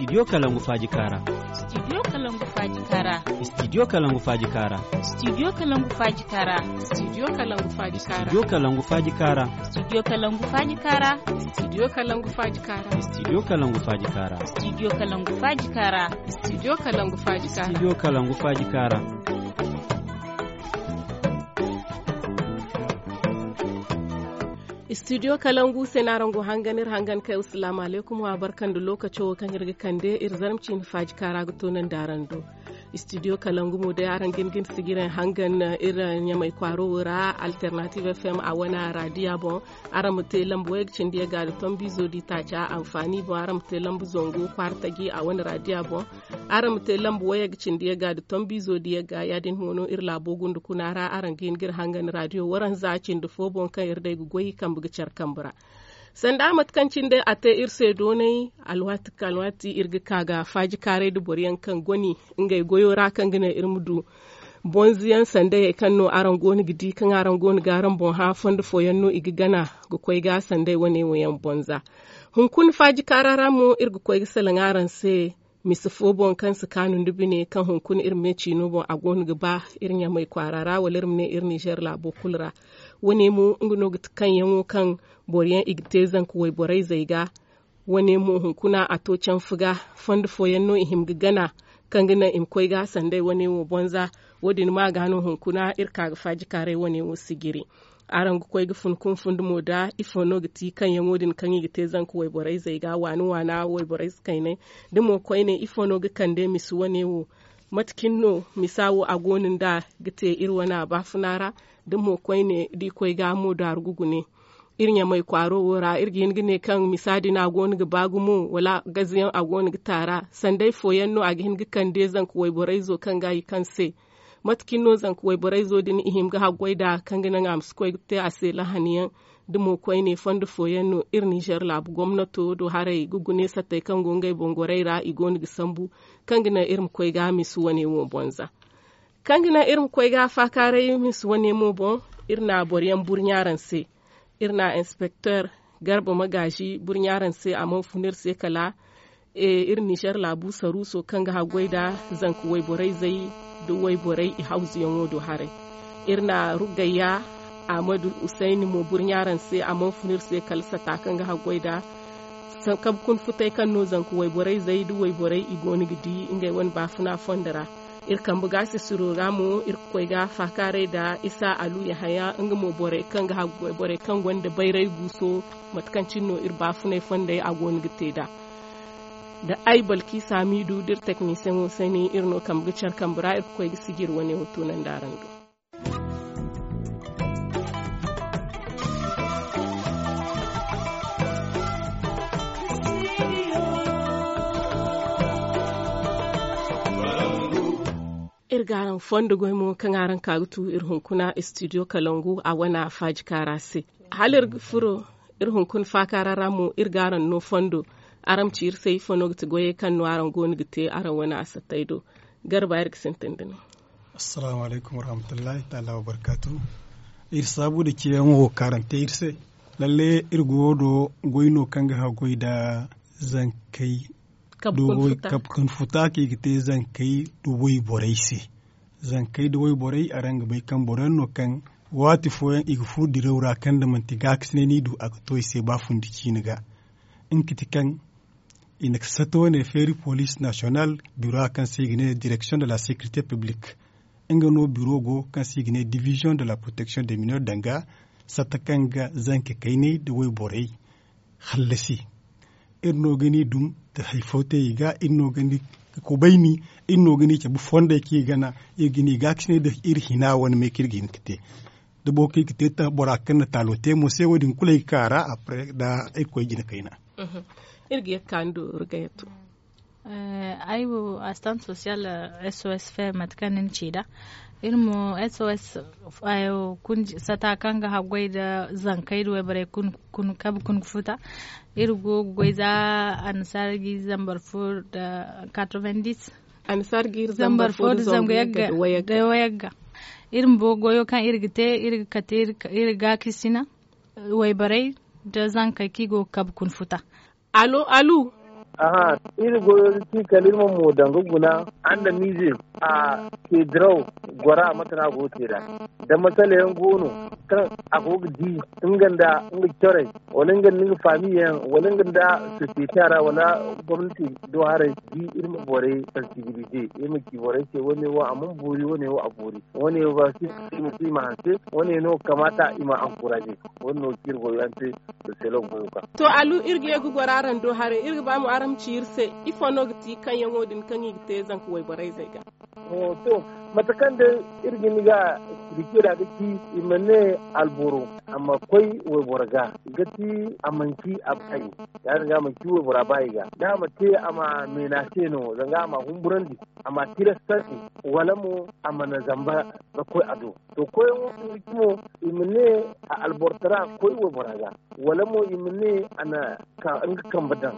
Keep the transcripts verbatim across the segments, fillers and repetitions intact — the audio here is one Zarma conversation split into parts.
Studio Kalangu Faaji Kaara. Studio Kalangu Faaji Kaara. Studio Kalangu Faaji Kaara. Studio Kalangu Faaji Kaara. Studio Kalangu Faaji Kaara. Studio Kalangu Faaji Kaara. Studio Kalangu Faaji Kaara. Studio Kalangu Faaji Kaara. Studio Kalangu Faaji Kaara. Studio Kalangu Faaji Kaara. Studio Kalangu Faaji Kaara. Studio Kalangu Faaji Kaara. Studio Kalangu se no araŋ go hangan, iri hangan kay. Assalamu alaykum, wa barka nda lookaco wo kaŋ iri ga kande iri zarma ciine faaji kaara ga toonandi araŋ do. Studio Kalangu mo day araŋ ga hin ga ni sijiraŋ hangan iri Ɲamay kwaaro wo ra, Alternative F M a wane raadiya boŋ. Araŋ ma te lamba wayga cindi yagga nda tombiizo di taaca anfaani boŋ. Araŋ ma te lamba zangu kwaara taji a wane raadiya boŋ. Araŋ ma te lamba wayga cindi yagga nda tombiizo di yagga. Ya-din mo no iri laabo gunda kuna ra araŋ ga hin ga iri hangan raadiyo waranza cindi fo boŋ kaŋ iri day ga goy kambe ga care kambe ra. Sanda mate kaŋ cine day a te iri se doonay, alwaati ka alwaati iri ga ka ga faaji kaaray nda boro yaŋ kaŋ goni ngey goyo ra kaŋ ga naŋ iri ma du bonza yaŋ sanda hayey kaŋ no araŋ go no ga di kaŋ araŋ go no ga araŋ boŋ hã fondo fooyaŋ no i ga gana ga koy ga sanday wane wo yaŋ bonza. Hunkuna faaji kaara ra mo iri ga koy ga salaŋ araŋ se misa fo boŋ kaŋ si kaanu nda bine kaŋ hunkuna iri me ciino boŋ a go no ga ba iri ɲamay kwaara ra wala iri ma ne iri ninzeer laabo kulu ra. Wane mo nga no ga ti kaŋ yaŋo kaŋ boro yaŋ i ga te zanka wayborey zey ga. Wane mo hunkuna a to canfa ga fondo fooyaŋ no i hima ga gana kaŋ ga naŋ i ma koy ga sanday wane wo bonza. Wo- din ma ga no hunkuna iri ka ga faaji kaaray wane wo sijiri. Araŋ ga koy ga fun kunfundi mo da ifo no ga ti kaŋyaŋo din kaŋ i ga te zanka wayborey zey ga waani waana wayborey si kaynay da mo koyne ifo no ga kande misa wane wo? Mate cine no misa wo a go no nda ga te iri wane a baafuna ra? Da mo koyne da i koy ga mo daaru ga gune iri ɲamay kwaaro wo ra iri ga hin ga ne kaŋ misa din a go no ga ba gumo wala gazayaŋ a go no ga taara sanday fooyaŋ no a ga hin ga kande zanka wayborey zo kaŋ ga i kaŋ se? Mate cine no zanka wayborey zo din i hima ga haggoy nd'a kaŋ ga naŋ a ma si koy ga te a se lahani yaŋ? Da mo koyne fondo fooyaŋ no iri ninzeer laabu gomnato do haray ga gune sattey kaŋ go ngey boŋ gorey ra i go no ga sambu kaŋ ga naŋ iri ma koy ga misa wane wo bonza. Kaŋ ga naŋ iri ma koy ga faakaaray misa wane mo boŋ iri na boro yaŋ burɲa araŋ se. Iri na inspekteer garba magaazi burɲa araŋ se a mana fun iri se kala iri ninzeer laabu saruuso kaŋ ga haggoy nda zanka wayborey zey nda wayborey i hawzuyaŋo do haray. Iri na ruggayya ahmadu usayni mo burɲa araŋ se a mana fun iri se kala sata kaŋ ga haggoy nda kabe kuna futay kaŋ no zanka wayborey zey nda wayborey i go no ga di ngey wane baafuna fondo ra. Iri kambe ga sisiro ra mo iri ga koy ga faakaaray nda isa alu yahaya nga mo borey kaŋ ga haggoy borey kaŋ gonda bayray guuso. Mate kaŋ cine no iri baafunay fondey a go no ga te nd'a nda ay balki saamiidu da iri teknisiyeŋo se ne iri no kambe ga care kambe ra iri ga koy ga sijiri wane wo toonandi araŋ do. Iri ga araŋ fondo goy mo kaŋ araŋ ka ga tu iri hunkuna studio kalangu a wane faaji kaara se. Hala iri ga furo iri hunkuna faakaara ra mo iri ga araŋ no fondo. Araŋ ma ci iri se ifo no ga ti goyey kaŋ no araŋ go no ga te araŋ wane asattey do? Garba iri ga sintin da ni. Assalaamu alaykum warahmatullahi taala wabarkaatu. Iri saabu nda ceeyaŋo wo kaŋ araŋ te iri se. Lalle iri go do goy no kaŋ ga haggoy nda zankey kabu kaŋ futa kaŋ i ga te zankey nda wayborey se. Zankey nda wayborey araŋ ga bay kaŋ boro yaŋ no kaŋ waati fooyaŋ i ga furo diraw ra kaŋ nda manti gaakasinay no i du a ga to i se ba fundi ciine ga. Nga ga ti kaŋ i na sato wane feeri poliis nasiyonal biro kaŋ se i ga ne direksiyoŋ de la sekirite piblik. Nga no biro go kaŋ se i ga ne diviziyoŋ de la poroteksiyoŋ de mineur danga satta kaŋ ga zanka kaynay nda wayborey hallasi. Iri no ga ni dum nda hari fo te i ga iri no ga ni kubayni. Iri no ga ni cabe fondey kaŋ i gana iri ga ni gaakasinay nda iri hina wane me kaŋ iri ga hin ga te. Da boro kaŋ i ga te bora kaŋ na taalo te mo se wo- din kulu ay ga ka a ra. Apre da ay ga koy jina kayna. Iri ga ye ga ka ni do rugayatu. Ay wo asistant sosiyal. S O S fe mate kaŋ ni na ci nd'a iri mo s o s sata kaŋ ga haggoy nda zankey nda wayborey kabe kuna ga futa. Iri go ga goy za annasaara ga iri zambar fo nda quatre-vingt-dix. Annasaara ga iri zambar fo nda zangu yagga nda wayagga. Iri bumbo goyo kaŋ iri ga te iri ga kate iri gaakisina wayborey nda zankey kaŋ i go ga kabe kuna futa. Allo allo. Aha, iri goyo ga ci kala iri ma mo danga guna andamize a te diraw gora mate no a go ga te nd'a. Da masala yaŋ go no kaŋ a go ga di nga nda nga corey, wala nga nda nga faamiyaŋ, wala nga nda sosiyete ra, wala gomnati do haray, di iri ma borey sansibilize, iri ma ci borey se wane wo a mana boori, wane wo a boori, wane wo ba si ma hanse, wane no kamaata i ma ankuraze. Wane no ga ci iri goyo yaŋ te. Sosiyolog goyo ka. To, alu iri ga ye ga goro araŋ do haray, iri ga ba mo araŋ ma ci iri se ifo no ga ti kaŋyaŋo din kaŋ i ga te zanka wayborey zey ga? To, mate kaŋ day iri ga ni ga expliquer da ga ci, i ma ne alboro a ma koy wayboro ga, ga ti a manci a baayi. Ya- din ga a manci waybora baayi ga, da a ma te a ma menace no zanga a ma humburandi, a ma tirastandi, wala mo a mana zamba ga koy a do. To, koyyaŋo ga ci mo, i ma ne a albortara koy waybora ga, wala mo i ma ne a na ka nga kambe daŋ.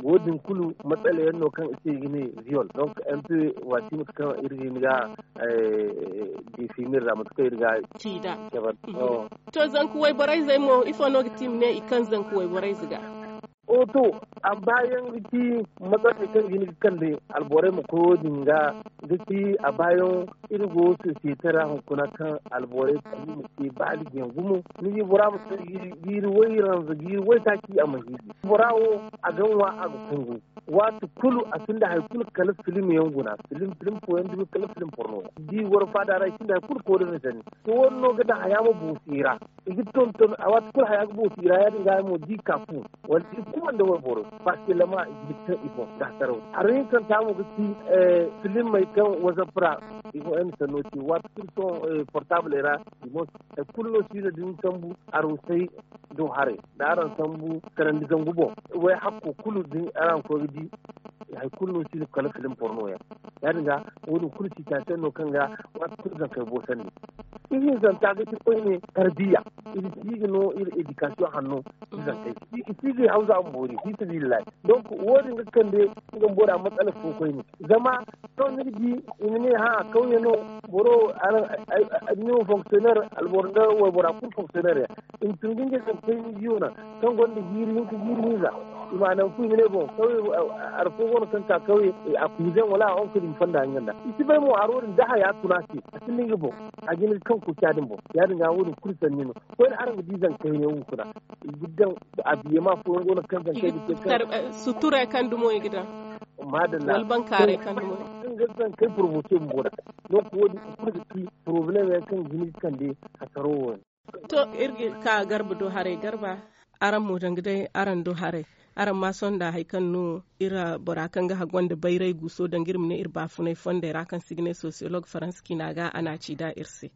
Wo- din kulu matsala yaŋ no kaŋ i se i ga ne viol. Donc, un peu waati mate kaŋ iri ga hin ga definir ra mate kaŋ iri ga ci nd'a. To, zanka wayborey zey mo ifo no ga ti i ma ne i kaŋ zanka wayborey ze ga? O to, a baayaŋ ga ci matsala kaŋ ga hin ga kande alborey ma koy wo- din ga, ga ci a baayaŋ iri go sosiyete ra hunkuna kaŋ alborey kulu ma te baaligiyaŋ gumo. Ni di bora ma te jiiri way ranza jiiri waytaaci a ma hiiji. Bora wo a ga ŋwa a ga kungu. Waati kulu a sinda hari kulu kala filim yaŋ guna, filim filim fooyaŋ dumi kala filim porno yaŋ di goro faada ra i sinda hari kulu koodin ni sanni. To wo- din no ga daŋ haya ma boosi i ra. I ga tonton a waati kulu haya ga boosi i ra ya- din ga mo di ka fu wala i kuma nda wayboro. Paske lama i ga hin kaŋ i boŋ ga saraw. Hari hinkanta mo ga ci filimey kaŋ whatsapp ra i boŋ ay ma sanno ci waati kulu sohõ portable ra. I boŋ hari kulu no si no da ni sambu arusay do haray da araŋ sambu karandi zangu boŋ. Way hakko kulu da araŋ koy ga di hari kulu no si no kala filim porno yaŋ. Ya- din ga wo- din kulu situation no kaŋ ga waati kulu zankey boosandi. Ihinzanta ga ci koyne tarbiya. I ma si ga no iri éducation hanno. Izankey i si ga i hawza a ma boori fi sabilillahi. Donc wo- din ga kande nga bora matsala fo koyne. Zama to ni ga di i ma ne ha kawye no boro ni wo fonctionnaire alboro nda waybora kulu fonctionnaire yaŋ. I ma tun ga ngey kaŋ koy ni biyo naŋ kaŋ gonda jiiri hinka jiiri hinza. I ma naŋ fu i ma ne boŋ kawye. Hari fo go no kaŋ ka kawye a kuuzaŋ wala a onko din fonda nga nda i si bay mo haro din da haya tun a se. A sinda nga boŋ a jina ga kaŋ kuuca din boŋ. Ya- din ga wo- din kulu sanni no. Koyne araŋ ga di zankey ne hunkuna i ga daŋ abiyema fooyaŋ go no kaŋ zankey ga te kaŋ suturay kaŋ dumo i ga daŋ. Madalla wala bankaaray kaŋ dumo i ga daŋ kaŋ ga zankey promote bumbo da. Donc wo- din kulu ga ci problème yaŋ kaŋ ga hin ga kande hasaro wo- din. To iri ga ka garba do haray garba. Araŋ mo danga day araŋ do haray. Araŋ ma sohõ nda hari kaŋ no iri bora kaŋ ga haggoy nda bayray guuso danga iri ma ne iri baafunay fondey ra kaŋ se i ga ne sociologue faransa ciina ga a na a ci nd'a iri se.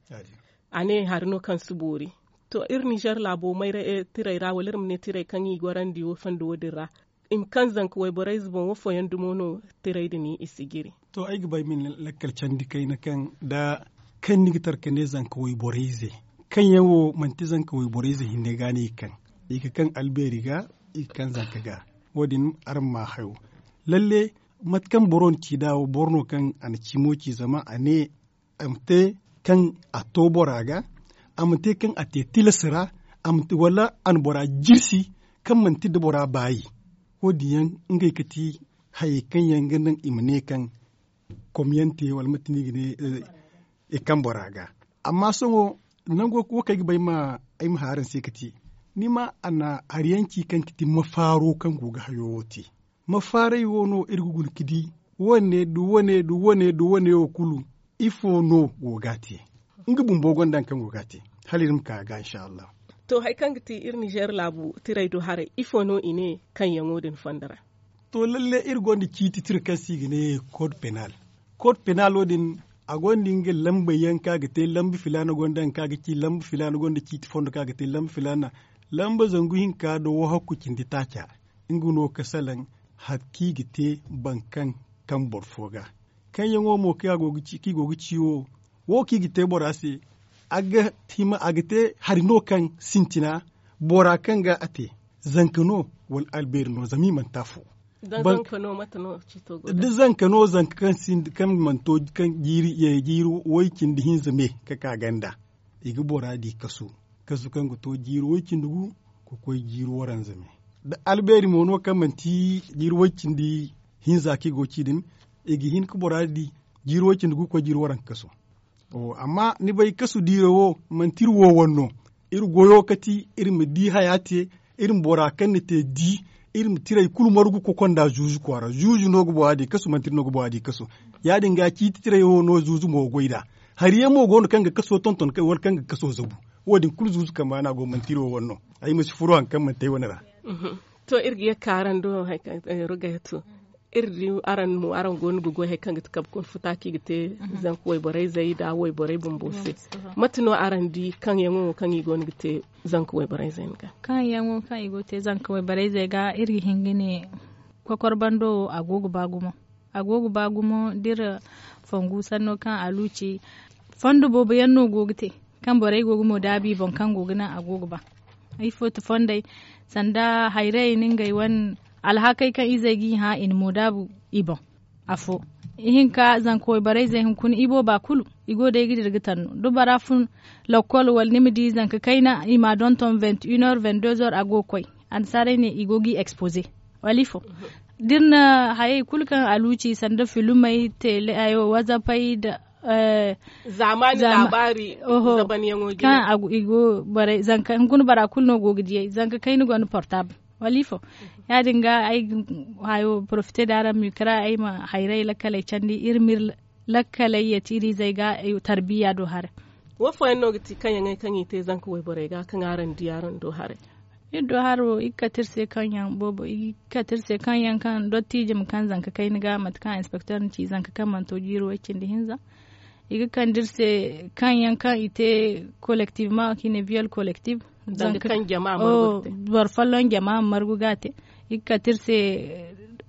A ne hari no kaŋ si boori. To iri nizer laabo mayray tirey ra wala iri ma ne tirey kaŋ i gorandi wo fondo wo- din ra i ma kaŋ zanka wayborey ze boŋ wo fooyaŋ dumo no tirey din i si jiri. To ay ga ba ay ma ni lakkal candi kayna kaŋ da kaŋ ni ga tara ka ne zanka wayborey ze kaŋ yaŋ wo manti zanka wayborey ze hinne ga no i ga kaŋ i ga kaŋ albeeri ga i ga kaŋ zanka ga. Wo- din araŋ ma hayo lalle mate kaŋ boro na ci nd'a wo boro no kaŋ a na cimo ci zama a ne a ma te kaŋ a to bora ga a ma te kaŋ a te tilas ra wala a na bora jirsi kaŋ manti nda bora baayi. Wo- din yaŋ ngey ga ti hayey kaŋ yaŋ ga naŋ i ma ne kaŋ komyaŋ te wala mate no i ga ne i kaŋ bora ga. Amma sohõ nango wo kaŋ ay ga ba ay ma hã araŋ se ga ti ni ma a na hari yaŋ ci kaŋ ga ti mafaaro kaŋ go ga hayo wo te. Mafaaray wo no iri ga guna ga di wane nda wane nda wane nda wane wo kulu ifo no go ga a te? Nga bumbo gonda hari kaŋ go ga a te hala iri ma ka a ga inshallahu. To hari kaŋ ga ti iri nizer laabu tiray do haray ifo no i ne kaŋ yaŋo din fondo ra? To lalle iri gonda ciiti tira kaŋ se i ga ne code penal. Code penal wo- din a gonda nga lambey yaŋ kaŋ a ga te lamba filaana gonda nga kaŋ a ga ci lamba filaana gonda ciiti fondo kaŋ a ga te lamba filaana lamba zangu hinka nda wahakku cindi taaca. Nga no ga salaŋ hari kaŋ i ga te boro kaŋ kaŋ boro fo ga kaŋ yaŋo mo kaŋ i go ga ci wo wo kaŋ i ga te bora se a ga te hari no kaŋ sintina bora kaŋ ga a te zanka no wala albeeri no zama i mana te afo. Da zanka no zanka kaŋ mana to kaŋ jiiri jiiri way cindi hinza me ka ka ganda i ga bora di kasu kasu kaŋ ga to jiiri way cindi gu ka koy jiiri waranza me. da albeeri mo no kaŋ manti jiiri way cindi hinza kaŋ i go ga ci din, i ga hin ga bora di jiiri way cindi gu ga koy jiiri waranka kaso. Amma ni bay kasu diiro wo manti iri wo wane no. Iri goyo kati iri ma di haya te, iri ma bora kaŋ ni te di, iri ma tiray kulu margu ga kokonda zuuzu kwaara zuuzu no ga bora di kasu manti iri no ga bora di kasu. Ya- din ga ciiti tiray wo no zuuzu mo ga goy nd'a. Hari yaŋ mo go no kaŋ ga kaso tonton wala kaŋ ga kaso zabu. Wo- din kulu zuuzu kambe no a go manti iri wo wane no. Ay ma si furo hari kaŋ manti ay wane ra. To iri ga ye ga ka araŋ do, rugayatu, iri di araŋ mo araŋ go no ga goy hari kaŋ ga ti kabe kuna futa kaŋ i ga te zanka wayborey zey nda wayborey bumbo se. Mate no araŋ di kaŋ yaŋo wo kaŋ i go no ga te zanka wayborey zey ga? Kaŋ yaŋo kaŋ i go ga te zanka wayborey zey ga, iri ga hin ga ne, kokor bando wo a go ga ba gumo. A go ga ba gumo da iri fongu sanno kaŋ a luuci. Fondo boobo yaŋ no go ga te kaŋ borey go ga mo daabu i boŋ kaŋ go ga naŋ a go ga ba. Ifo ti fondey, sanda hayrey na ngey wane alhakey kaŋ izey g'i hã i na mo daabu i boŋ. Afo, ihinka zanka wayborey zey hunkuna i booba kulu i go day ga dira ga tanno da bora fun lokkol wala ni ma di zanka kayna i m'a donton vingt une heure vingt deux heure a go ga koy. Annasaarey ne i go g'i expoze wala ifo? Da iri na hayey kulu kaŋ a luuci sanda filmey tele ayo wazapey nda zaamaani laabaari zabanyaŋo jine kaŋ i go borey zanka hunkuna bora kulu no go ga diyey zanka kayna gonda portable wala ifo? Ya- din ga ay ga hayo porofite da araŋ ma i kara ay ma hayrey lakkaley candi iri ma iri lakkaley yeeti iri izey ga tarbiya do haray. Wo fooyaŋ no ga ti kaŋ yaŋey kaŋ i te zanka wayborey ga kaŋ araŋ di araŋ do haray? Iri do haro i ga kate iri se kaŋ yaŋ boobo i ga kate iri se kaŋ yaŋ kaŋ dottiije ma kaŋ zanka kayna ga mate kaŋ inspektor na ci zanka kaŋ mana to jiiri way cindi hinza. I ga kande iri se kaŋ yaŋ kaŋ i te kolektif ma kaŋ i ne viyol kolektif. Boro folloŋ jama ma margu ga a te. I ga kate iri se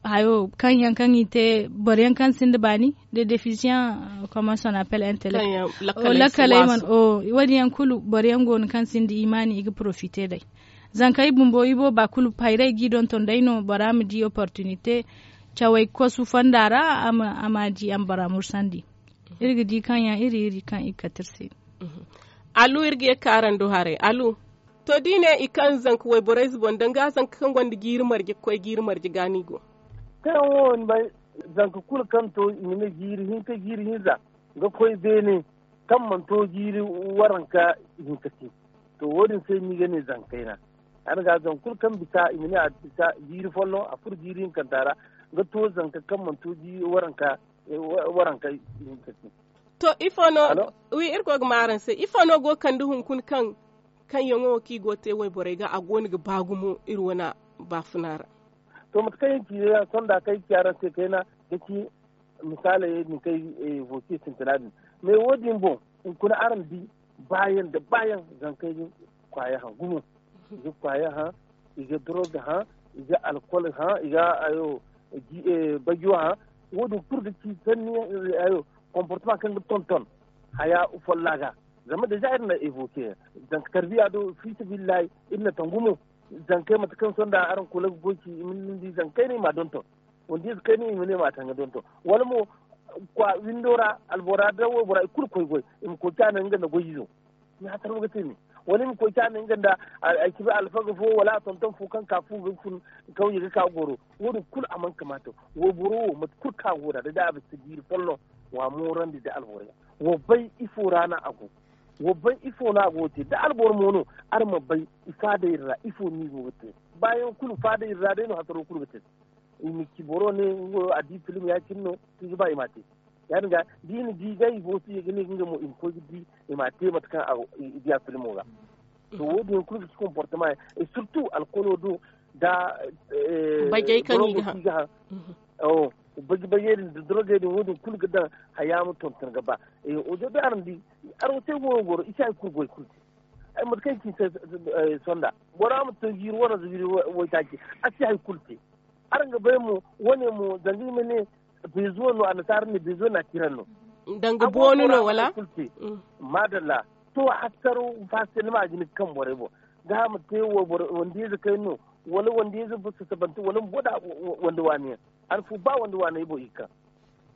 hayo kaŋ yaŋ kaŋ i te boro yaŋ kaŋ sinda baani de defisiyaŋ. Comment son appel intellect lakkaley man o wo- din yaŋ kulu boro yaŋ go no kaŋ sinda imaani i ga porofite day. Zankey bumbo i booba kulu hayrey g'i donton day no bora ma di opportunité cawey kosu fonda ra. A ma di a ma bora mursandi. Iri ga di kaŋ yaŋ iri iri kaŋ i ga kate iri se. Alu iri ga ye ga ka araŋ do haray alu. To da i ne i kaŋ zanka wayborey ze boŋ danga zanka kaŋ gonda jiiri marje ga koy jiiri marje ga no i go. Kaŋ yaŋ wo ni bay zanka kulu kaŋ to i ma ne jiiri hinka jiiri hinza ga koy beene kaŋ mana to jiiri waranka hinka te. To wo- din se no i ga ne zanka kayna. Hala ga zanka kulu kaŋ bisa i ma ne a bisa jiiri folloŋ a furo jiiri hinkanta ra ga to zanka kaŋ mana to jiiri waranka hinka te. To ifo no wi iri koy ga ma araŋ se ifo no go ga kande hunkuna kaŋ kaŋ yaŋo wo kaŋ i go ga te wayborey ga a go no ga ba gumo iri wane baafuna ra? To mate kaŋ iri ci yaŋ sonda kaŋ iri ci araŋ se kayna ga ci misaaley din kaŋ iri evoke sintina din. Mais wo- din boŋ hunkuna araŋ di baayaŋ nda baayaŋ zankey ga kwaaya haŋ gumo. I ga kwaaya haŋ, i ga doroga haŋ, i ga alkol haŋ, i ga bajo haŋ. Wo- din kulu ga ci sanni yaŋ komportema kaŋ ga tonton haya folla ga. Zama deja iri na evoke yaŋ zanka tarbiya do fiisabilillahi iri na tangu mo. Zankey mate kaŋ sonda araŋ kula ga goy ci i ma ni di zankey no i ma a donton. Wanda ize kayna i ma ne ma a taŋ ga donton wala mo windo ra albora da waybora i kulu koy goy i ma koy ka naŋ nga nda goy izo. Ni hatar ga te ne wala i ma koy ka naŋ nga nda ay ci bay alfaga fo wala a tonton fo kaŋ ka fu ga fun kawye ga ka goro. Wo- din kulu a mana kamaata. Wayboro wo mate kulu kaŋ a go nd'a da day a bisa jiiri folloŋ wa moorandi da alboro yaŋ. Wa bay ifo ra no a go. Wa bay ifo no a go ga te da alboro mo no araŋ ma bay i faadey ra ifo no i go ga te. Baayaŋ kulu faadey ra day no hasaro kulu ga te. I ma ci boro ne nga wo a di film ya- cine no i ga ba i m'a te. Ya- din ga da i na di ga i go ga ne ga nga mo i ma koy ga di i m'a te mate kaŋ i diya filmo ga. To wo- din yaŋ kulu ga ci comportement yaŋ et surtout alkolo do da bagey kaŋ i ga haŋ. Bagey bagey din da dorogey din wo- din kulu ga daŋ haya ma tonton ga ba. Ojo da araŋ di araŋ wo te goyo goro i si hari kulu goy kulu te. Ay mate kaŋ i ci se sonda bora ma to jiiri wane ziiri waytaaci a si hari kulu te. Araŋ ga bay mo wane mo zanga i ma ne bezuwa no annasaara ne bezuwa na kiran no. Danga boonu no wala? Madalla. To hattaro fasilma a ga ni kaŋ borey boŋ ga ma te wanda ize kay no wala wanda ize sasabanti wala ma boda wanda waani yaŋ. An fu ba wanda waani ay boŋ i kaŋ.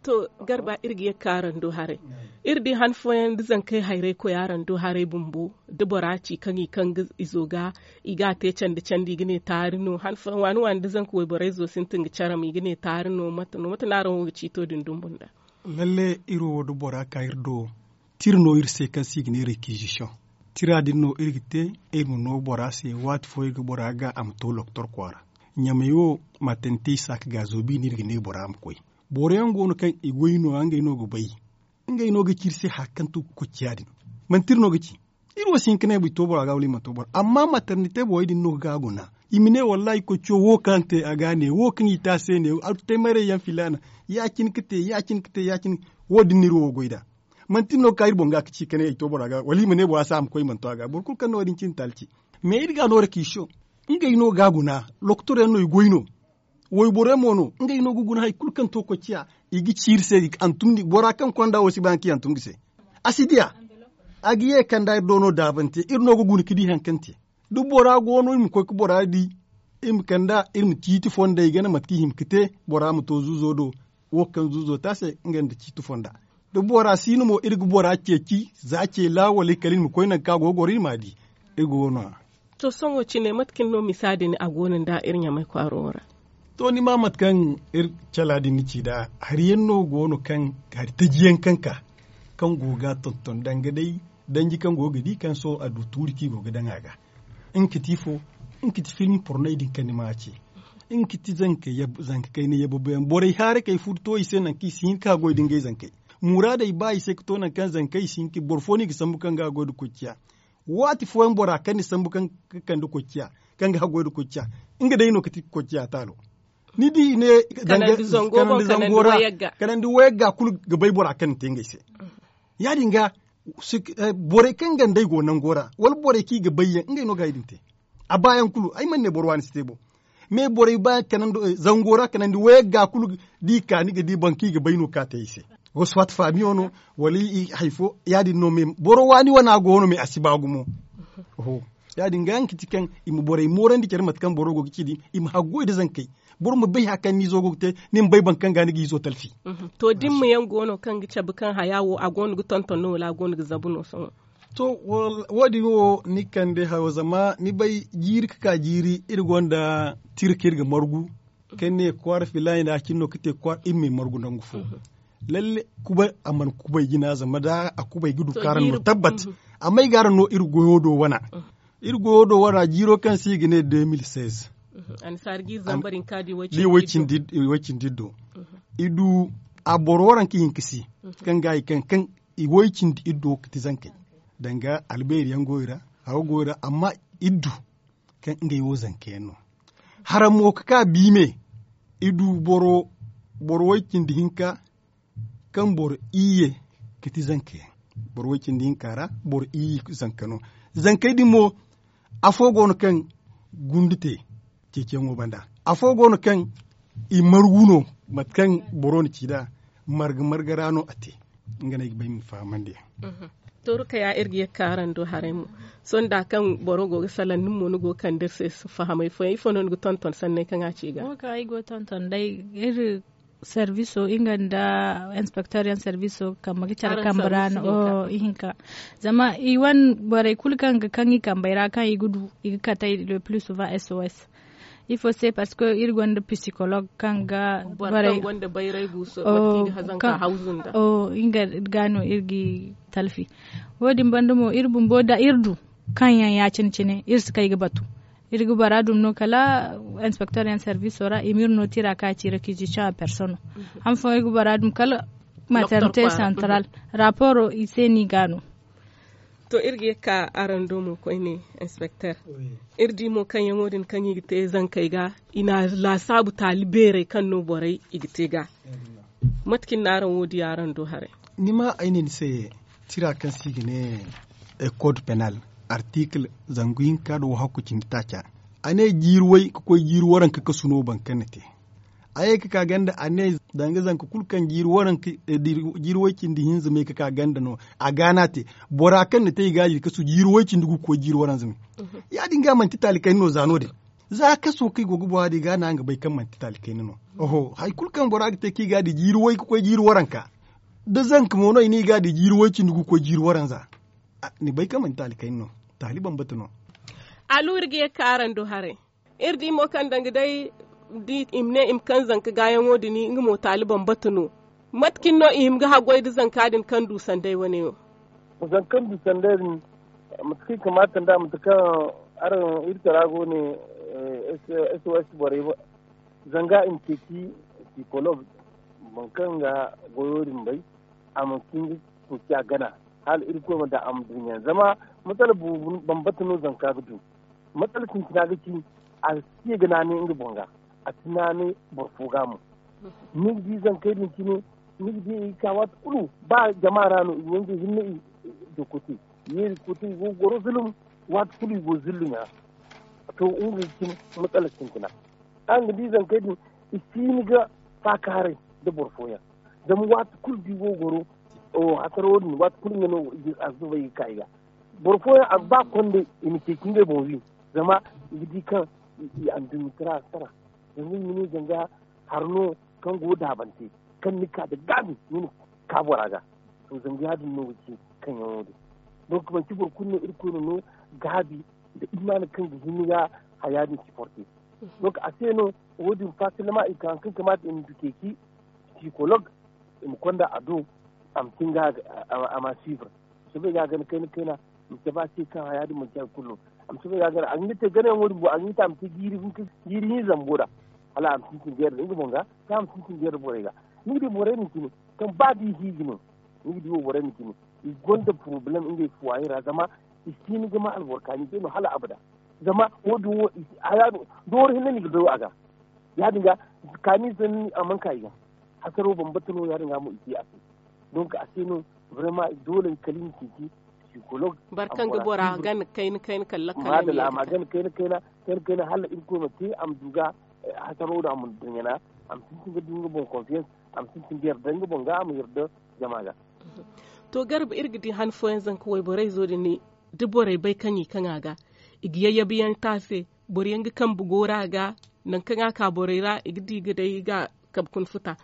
To, garba iri ga ye ga ka araŋ do haray. Iri di han fooyaŋ da zankey hayray koy araŋ do haray bumbo, da bora ci kaŋ i kaŋ ga izo ga i ga a te candi candi i ga ne taari no han fooyaŋ waani waani da zanka wayborey zo sintin ga care ma i ga ne taari no mate no mate no araŋ wo ga ciito din dumbu nd'a? Lalle iri wo da bora ka iri do tira no iri se kaŋ se i ga ne rekizisiyoŋ. Tira din no iri ga te iri ma no bora se waati fo iri ga bora ga a ma to loktor kwaara. Ɲamey wo matante i saaka ga zoobi no iri ga ne bora ma koy. Boro yaŋ go no kaŋ i goy no ngey no ga bay. Ngey no ga ci iri se hari kaŋ to ga koy ciya din. Manti iri no ga ci iri wo si hin ka ne i to bora ga wala i mana to bora amma matarnite borey din no ga guna. I ma ne wallahi koy ciyo wo kaŋ te a ga ne wo kaŋ i te a se ne. Artutay maray yaŋ filaana ya- cine ka te ya- cine ka te ya- cine. Wo- din no iri wo goy nd'a. Manti iri no ga ka iri boŋ ga ka ci ka ne i to bora ga wala i ma ne bora se a ma koy i mana to a ga boro kulu kaŋ no wo- din cine taali ci. Mais iri ga no rek i show ngey no ga guna. Loktor yaŋ no i goy no. Wayboro yaŋ mo no ngey no ga guna hari kulu kaŋ to koy ciya. I ga ci iri se i ga hantum ni bora kaŋ konda wo si ba hari kaŋ i hantum ga se. A si diya. A ga ye kanda iri do no daabante iri no ga guna ga di hari kaŋ te. Da bora go no iri ma koy ga bora di. Iri ma kanda iri ma ciiti fonda i gana mate kaŋ i hima ga te. Bora ma to zuuzo do. Wo kaŋ zuuzo te a se nga nda ciiti fonda. Da bora si no mo iri ga bora ceeci za ce laawo wala i kala iri ma koy nangu kaŋ a go ga goro iri ma a di. Iri go no- ya. To sohõ cine mate kaŋ no misa din a go no nda iri ɲamay kwaaro wo ra? To ni ma mate kaŋ iri cala din ni ci nd'a hari yaŋ no go no kaŋ hari taji yaŋ kaŋ ka kaŋ go ga a tonton danga day danji kaŋ go ga di kaŋ sohõ a du tuuri kaŋ i go ga daŋ a ga. Nga ka ti ifo? Nga ka ti film porney din kaŋ ni ma a ce. Nga ka ti zanka kayna yabba boyaŋ borey haarakey furu to i se nangu kaŋ i si hin ka goy nda ngey zankey. Muraadey ba i se ga to nangu kaŋ zankey i si hin ka boro fo no i ga sambu kaŋ ga a goy nda koy ciya. Waati fooyaŋ bora kaŋ ni sambu kaŋ ga kande koy ciya kaŋ ga haggoy nda koy ciya. Nga day no ga ti koy ciya taalo. Ni di i ne kanandi zango ra kanandi wayagga kulu ga bay bora kaŋ ni te ngey se. Ya- din ga borey kaŋ gandey go nango ra wala borey kaŋ i ga bay yaŋ ngey no ga hari din te. A baayaŋ kulu ay mana ne boro waani si te bo. Mais borey baayaŋ kanandi zango ra kanandi wayagga kulu da i ka ni ga di boro kaŋ i ga bay no kaŋ a te i se. Wasu fatta faamiyo no wala hari fo ya- din no mais boro waani wana go no mais a si ba gumo. Ya- din ga yaŋ ga ti kaŋ i ma borey moorandi care mate kaŋ boro go ga ci din i ma haggoy nda zankey. Boro ma bay hari kaŋ ni izo go ga te ni ma bay boro kaŋ ga ni ga izo talfi. To dimma yaŋ go no kaŋ ga cabe kaŋ haya wo a go no ga tonton no wala a go no ga zabu no sohõ? To wo- din wo ni kande hayo zama ni bay jiiri ga ka jiiri iri gonda tira kaŋ iri ga margu kaŋ ne kwaara filaani nda a cine no ga te kwaara iri ma i margu nangu fo. Lalle kubay a mana kubay jina zama da a kubay ga du kaŋ araŋ no tabbat. Amma ay ga araŋ no iri goyo do wana. Iri goyo do wana jiiro kaŋ se i ga ne deux mille seize. Di way cindi iddo i du a boro waranka hinka se kaŋ ga i kaŋ kaŋ i way cindi iddo ga ti zankey. Danga albeeri yaŋ go i ra haw go i ra amma iddu kaŋ ngey wo zanka yaŋ no. Haram mo ga ka biime i du boro boro way cindi hinka kaŋ boro iyye ga ti zanka yaŋ. Boro way cindi hinka ra boro iyye zanka no. Zankey din mo afo go no kaŋ gundu te ceeciyaŋo banda. Afo go no kaŋ i margu no mate kaŋ boro na ci nd'a marga marga ra no a te. Nga no ay ga ba ay ma ni fahamandi yaŋ. To rukaya iri ga ye ga ka araŋ do haray mo. Sohõ da kaŋ boro go ga salaŋ nin mo ni go ga kande iri se fahamay fooyaŋ ifo no ni ga tonton sanney kaŋ a ci ga? Wo kaŋ ay go ga tonton day iri serviso nga nda inspecteur yaŋ serviso kambe ga care kambe ra no ihinka. Zama i wane borey kulu kaŋ ga kaŋ i kambey ra kaŋ i ga du i ga katey le plus souvent sos. Ifo se parce que iri gonda psychologue kaŋ ga borey nga ga no iri ga talfi. Wo- din banda mo iri bumbo da iri du kaŋ yaŋ ya- cine cine iri si kay ga batu. Iri ga bora dum no kala inspecteur yaŋ serviso ra i ma iri no tira ka ci réquisition à personne. Han fooyaŋ iri ga bora dum kala maternité centrale. Rapport i se no i ga no. To iri ga ye ga ka araŋ do mo koyne inspecteur. Iri di mo kaŋ yaŋo din kaŋ i ga te zankey ga i na laasaabu taali beerey kaŋ no borey i ga te ga. Mate cine no araŋ wo di araŋ do haray? Ni ma ay ne ni se tira kaŋ se i ga ne code penal article zangu hinka nda wahakku cindi taaca. A ne jiiri way ga koy jiiri waranka kasu no boro kaŋ na te. A ye ga ka ganda a ne danga zanka kulu kaŋ jiiri waranka jiiri way cindi hinza me ga ka ganda no. A ga no a te bora kaŋ na te i ga a di kasu jiiri way cindi gu ga koy jiiri waranza me. Ya- din ga manti taali kayna no za no- din. Za kaso kaŋ i go ga boŋ a di ga no araŋ ga bay kaŋ manti taali kayna no. Oho, hari kulu kaŋ bora ga te kaŋ i ga a di jiiri way ga koy jiiri waranka, da zanka mo no i ne i ga a di jiiri way cindi ga koy jiiri waranza. Ni bay kaŋ manti taali kayna no. Taali bambata no. Alu iri ga ye ga ka araŋ do haray. Iri di mo kaŋ danga day i ma ne i ma kaŋ zanka gaayaŋo din nga mo taali bambata no. Mate cine no i hima ga haggoy nda zanka din kaŋ du sanday wane wo? Zanka kaŋ du sanday din, mate kaŋ i kamaata nda mate kaŋ araŋ iri tara go ne. S o s borey zanga i ma ceeci psikolog, boro kaŋ ga goyo din bay, a ma hin ga ceeci a gana, hala irkoy ma daŋ a ma du ɲaŋ zama matsala boobo bambata no zanka ga du. Matsala sintina ga ci, a si ye ga naanay nga boŋ ga, a si naanay boro fo ga mo. Ni ga di zankey din cine, ni ga di i ga ka waati kulu ba jama ra no i go nga hinne i dokote, yeeri kote i go ga goro zulum. Waati kulu i go zulum ra. To, nga ga cine matsala sintina. Araŋ ga di zankey din, i si hin ga faakaaray nda boro fooyaŋ. Zama waati kulu da i go ga goro hasaro din, waati kulu nga no a zubay ga ka i ga. Boro fooyaŋ a ga ba kondey i ma ceeci ngey boŋ wi. Zama i ga di kaŋ i anduɲɲa tara ga tara. Zanga i ma ne zanga hari no kaŋ go daabante, kaŋ ni ka nda gaabi ni na ka bora ga. To, zanga ya- din no ga ci kaŋ yaŋo din. Donc manti boro kulu no irkoy na no gaabi nda imaana kaŋ ga hin ga haya din siporte. Donc a se no wo- din fasilama i ka hari kaŋ kamaata i ma du ceeci psikolog, i ma konda a do, a ma tin ga a ma suivre. A ma soobay ga a gana kayna kayna, i ma cabe a se kaŋ haya din manti hari kulu no. A ma soobay ga a gana a ga hin ga te ganayaŋo din boŋ a ga hin ga te a ma te jiiri hinza bumbo ra. Hala a ma sintin jeera nda nga boŋ ga, kaŋ a ma sintin jeera borey ga. Ni ga di borey din cine, kaŋ ba da i hiiji no, ni ga di wo borey din cine, i gonda porobalem ngey fuwaye ra zama i si hin ga ma alboro kaani se no hala abada. Zama wo- din wo i si haya no doori hinne no i ga bay wo a ga. Ya- din ga kaani sanni a mana ka i ga. Hasaro bambata no ya- din ga mo i te a se. Donc a se no, vraiment doole kala i ma ceeci psikolog. Boro kaŋ ga bora gana kayna kayna kala lakkal a ma ye ga ta. Kayna kayna hala irkoy ma te a ma du ga hasaro din a ma du ɲana. A ma sintin ga du nga boŋ konfiyans, a ma sintin ga yarda nga boŋ ga a ma yarda jama ga. To garba iri ga di han fooyaŋ zanka wayborey zo din, da borey bay kaŋ i kaŋ a ga, i ga yayyabi yaŋ te a se. Boro yaŋ ga kambe goora ga, nangu kaŋ a ka borey ra i ga di ga day i ga kabe kuna futa.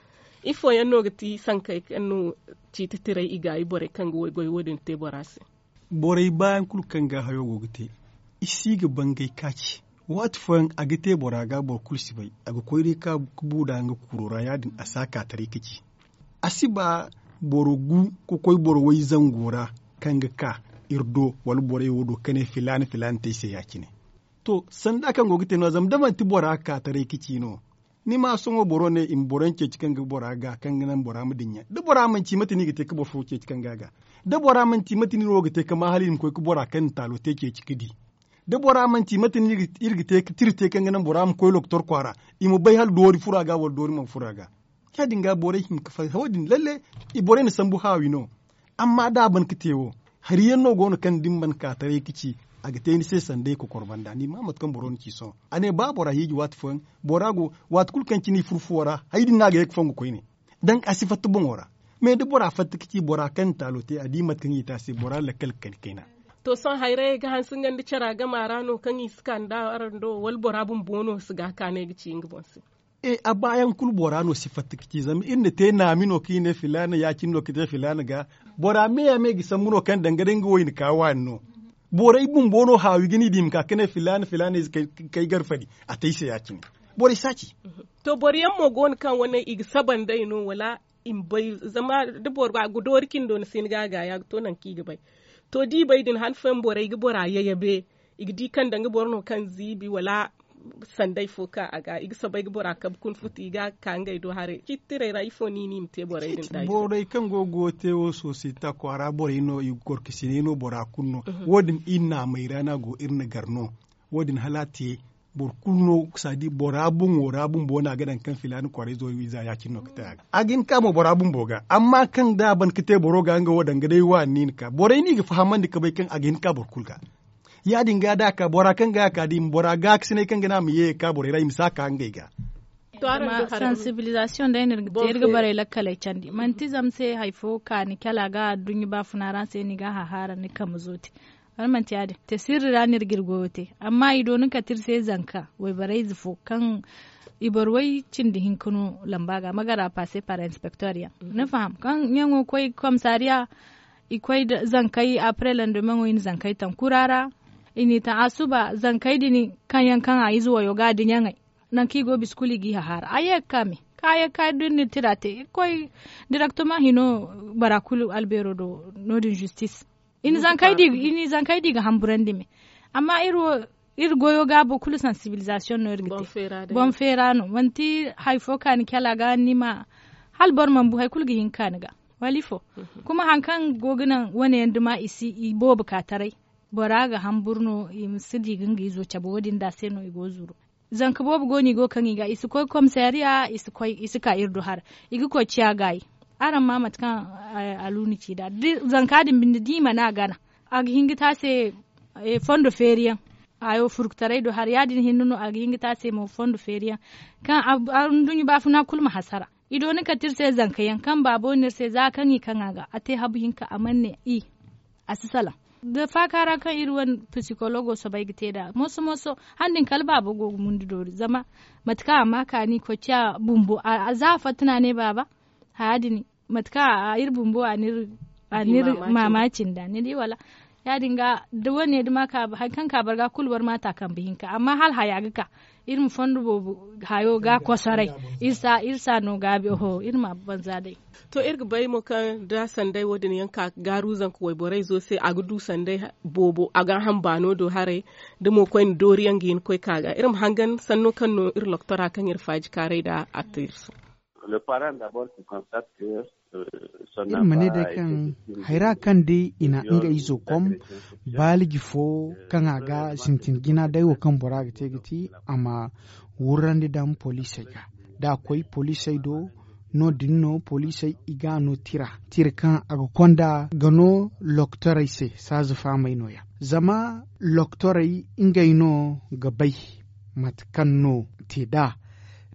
Ifo yaŋ no ga ti sankey kaŋ no ciiti tiray i gaayi borey kaŋ ga waygoy wo- din te bora se? Borey baayaŋ kulu kaŋ ga hayo go ga te, i si ga bangay kaaci. Waati fooyaŋ a ga te bora ga boro kulu si bay, a ga koy day ka bu nda nga kuuro ra ya- din a si a ka taray ka ci. A si ba boro gu ka koy boro way zango ra, kaŋ ga ka iri do wala borey wo do ka ne filaana filaana te ay se ya- cine. To, sanda kaŋ go ga te no- ya zama da manti bora ga ka taray ka ci no. Ni ma sohõ boro ne i ma boro yaŋ ceeci kaŋ ga bora ga kaŋ ga naŋ bora ma dinya da bora mana ci mate no i ga te ka boro fo ceeci kaŋ ga a ga. Da bora mana ci mate no iri wo ga te ka ma hala iri ma koy ka bora kaŋ na taalo te ceeci ka di. Da bora mana ci mate no iri ga te ka tira te kaŋ ga naŋ bora ma koy lokotor kwaara, i ma bay hala doori furo a ga wala doori mana furo a ga. Ya- din ga borey hima ga faham wo- din lalle, borey na sambu haawi no. Amma da a ban ga te wo, hari yaŋ no go no kaŋ da ni mana ka taray ga ci, a ga te ni se sanda i kokor banda ni ma mate kaŋ boro na ci sohõ. A ne ba bora hiiji waati fooyaŋ, bora go waati kulu kaŋ cine i furo fuwo ra, hari din no a ga ye ga fongu koyne. Danga a si fatta boŋo ra. Me da bora fatta ga ci bora kaŋ na taalo te a di mate kaŋ i te a se bora lakkal ga kani kayna. To sohõ hayrayey ga hanse nga nda cara gama ra no kaŋ i si ka nda araŋ do wala bora bumbo no si ga a kaanay ga ci nga boŋ se? E a baayaŋ kulu bora no si fatta ga ci zama iri na te naami no kaŋ i ne filaana ya- cine no ga te filaana ga. Bora me ya me ga sambu no kaŋ danga day nga wo i na ka waani no. Borey bumbo no haawi ga ni di i ma ka ga ne filaana filaana ize kay garfadi a te ay se ya- cine. Borey si a ci. To boro yaŋ mo go no kaŋ wane i ga saba nd'ey no wala i ma bay? Zama da boro ga doori cindo ni si ni ga a gaaya ga to nangu kaŋ i ga bay. To da i bay din han fooyaŋ borey ga bora yayabe, i ga di kaŋ danga boro no kaŋ ziibi wala sanday fo ka a ga i ga soobay ga bora kabe kuna futu i ga a ka ngey do haray ciitirey ra ifo no i na i ma te borey din da borey kaŋ go ga wo te wo sosiyeta kwaara borey no i ga gorkasiney no bora kulu no. Wo- din iri naamey ra no a go iri na gar no. Wo- din hala a te boro kulu no saadi bora boŋo ra bumbo no a ga daŋ kaŋ filaana kwaarayzo wiiza ya- cine no ga te a ga a ga hin ka mo bora bumbo ga amma kaŋ da a ban ga te boro ga nga wo danga day waani no i na ka borey no i ga fahamandi ga bay kaŋ a ga hin ka boro kulu ga. Ya- din ga da a ka bora kaŋ ga a ka da i ma bora gaakasinay kaŋ ga ne a ma ye ga ka borey ra i ma si a ka ngey ga. Sansibilizasiyoŋ day no iri ga te iri ga borey lakkaley candi manti zama se hari fo kaani kala a ga adduɲɲa baafuna ra se ni ga a hahaara ni kambe zo te. Wala manti ya- din te sirri ra no iri ga iri goyo te. Amma i dooni kate iri se zanka wayborey ize fo kaŋ i boro way cindi hinka no lamba ga magara passe par inspecteur yaŋ ni faham kaŋ ɲaŋo koy komisariya. I koy zankey après landomeŋo i na zankey taŋ kura ra. I n'i taŋ a suba zankey din kaŋ yaŋ kaŋ a ize wayo ga da ɲaŋey. Nangu kaŋ i go bisa kulu i g'i hahaara a ye ga ka me kaŋ a ye ga ka da iri na iri tira te iri koy direktoma hino bora kulu albeero do. No- din zistis i na zankey di ga hamburandi me. Amma iri wo iri goyo ga boro kulu sansibilizasiyoŋ no iri ga te. Boŋ feera no manti hari fo kaani kala ga ni ma hala boro mana bu hari kulu ga hin ga kaani ga wala ifo. Kuma hari kaŋ go ga naŋ wane yaŋ duma i si i boobo ka taray bora ga hamburu no i ma si di ga nga izo cabe wo- din da se no i go ga zuru. Zanka boobo go no i go ga kaŋ i ga i si koy komisariya i si ka iri do hara. I ga koy ciya gaayi. Araŋ ma mate kaŋ aluuna ci nd'a zanka din binde da i mana a gana a ga hin ga te a se fondo feeri yaŋ. Hayo furkutaray do hara ya- din hinne no a ga hin ga te a se mo fondo feeri yaŋ kaŋ anduɲɲa baafuna kulu ma hasara. I dooni kate iri se zanka yaŋ kaŋ baabo no iri se za kaŋ i kaŋ a ga a te habu hinka a mana ne i a si salaŋ. Da faaka ra kaŋ iri wane pisikologo soobay ga te nd'a moso moso. Hala din kala baabo go ga mundu doori zama mate kaŋ a ma kaani koy ciya bumbo za a fatta no a ne baaba. Haya din mate kaŋ iri bumbo a n'iri maamaaci nd'a ni di wala? Ya- din ga da wane duma hari kaŋ ka boro ga kulu boro ma ta kambe hinka amma hala haya ga ka iri ma fondo boobo hayo ga kosoray. Iri si a no gaabi oho iri ma banza day. To iri ga bay mo kaŋ da sanday wo- din yaŋ ka ga gaaru zanka wayborey zo se a ga du sanday boobo a ga a ham baano do haray. Da mo koyne doori yaŋ ga hin ga koy ka ga iri ma hangan sanno kaŋ no iri loktora kaŋ iri faaji kaaray nd'a a te iri se. Iri ma ne day kaŋ hayra kaŋ day i na nga izo kom baaliji fo kaŋ a ga sintin jina day wo kaŋ bora ga te ga ti a ma wurrandi daŋ poliisey ga da a koy poliisey do. No- din no poliisey i ga a no tira tira kaŋ a ga konda ga no loktorey se saaza faamey no- ya. Zama loktorey ngey no ga bay mate kaŋ no te nd'a.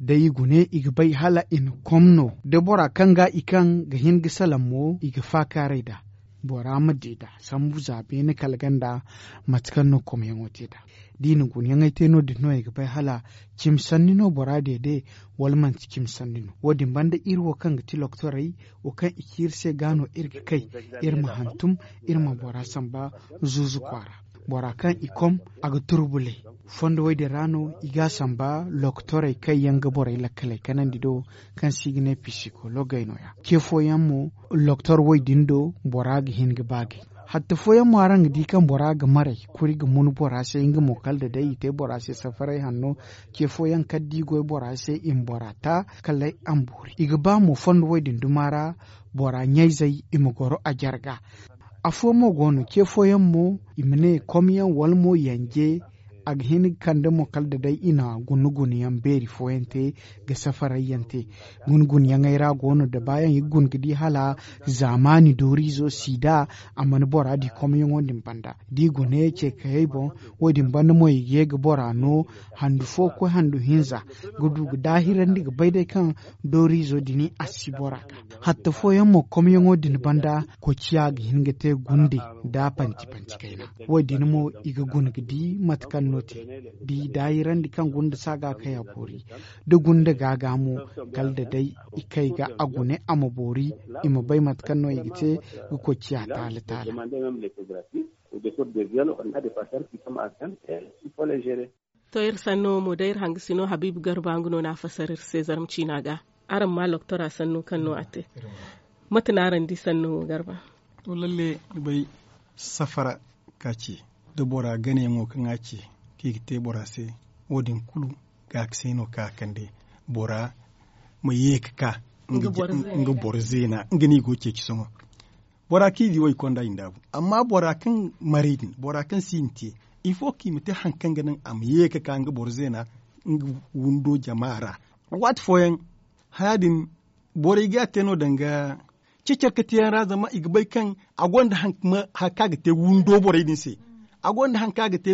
Day i gune i ga bay hala i na kom no da bora kaŋ ga i kaŋ ga hin ga salaŋ mo i ga faakaaray nd'a. Bora ma di nd'a sambu za beene kala ganda mate kaŋ no komyaŋo te nd'a. Da i na gunyaŋey te no- din no i ga bay hala cimi sanni no bora deede wala manti cimi sanni no wo- din banda iri wo kaŋ ga ti loktorey wo kaŋ i ci iri se ga no iri ga kay iri ma hantum iri ma bora samba zuuzu kwaara. Bora kaŋ i kom a ga turbulay fondo wo- din ra no i ga a samba loktorey kaŋ yaŋ ga borey lakkaley kanandi do kaŋ se i ga ne pisikologey no- ya ce fooyaŋ mo loktor wo- din do bora ga hin ga baagay. Hatta fooyaŋ mo araŋ ga di kaŋ bora ga maray kuri ga mun bora se nga mo kala da day i te bora se safaray hanno. Ce fooyaŋ kala da i goy bora se i ma bora ta kala a ma boori i ga ba mo fondo wo- din duma ra bora ɲayzey i ma goro a jarga. Afo mo go no ce fooyaŋ mo i ma ne komyaŋ wala mo yanje a ga hin ga kande mo kala da day i na guna gunayaŋ beeri fooyaŋ te ga safarayyaŋ te. Guna gunayaŋey ra go no da baayaŋ i ga guna ga di hala zaamaani dooriizo siida a mana bora di komyaŋo din banda da i guna ye ce kayey boŋ. Wo- din banda mo i ga ye ga bora no handu fo ga koy handu hinza ga du ga daahirandi ga bay day kaŋ dooriizo din a si bora ga hatta fooyaŋ mo komyaŋo din banda. Koociya ga hin ga te gunde da panti panti kayna wo- din mo i ga guna ga di mate kaŋ no te da i daahirandi kaŋ guna nda saaga kay a boori da guna nda gaaga mo kala da day i kay ga a gune a ma boori i ma bay mate kaŋ no i ga te ga koociya taala taala. To iri sanno mo day iri hangasino habiibu garba nga no no a fasar iri se zarma ciina ga. Araŋ ma loktora sanno kaŋ no a te mate no araŋ di sanno wo garba? To lalle ni bay safara ka ce da bora ganayaŋo kaŋ a ce kaŋ i ga te bora se wo- din kulu ga a ga se no kaŋ a kande bora ma ye ga ka nga boro zeena nga no i go ga ceeci sohõ. Bora kaŋ i di wo i konda i ndaabu amma bora kaŋ maray din bora kaŋ si i ma te ifo kaŋ i ma te hari kaŋ ga naŋ a ma ye ga ka nga boro zeena nga windo jama ra. Waati fooyaŋ haya din borey ga a te no danga cecarkatiyaŋ ra zama i ga bay kaŋ a gonda hari kaŋ a ga te windo borey din se. A gonda hari kaŋ a ga te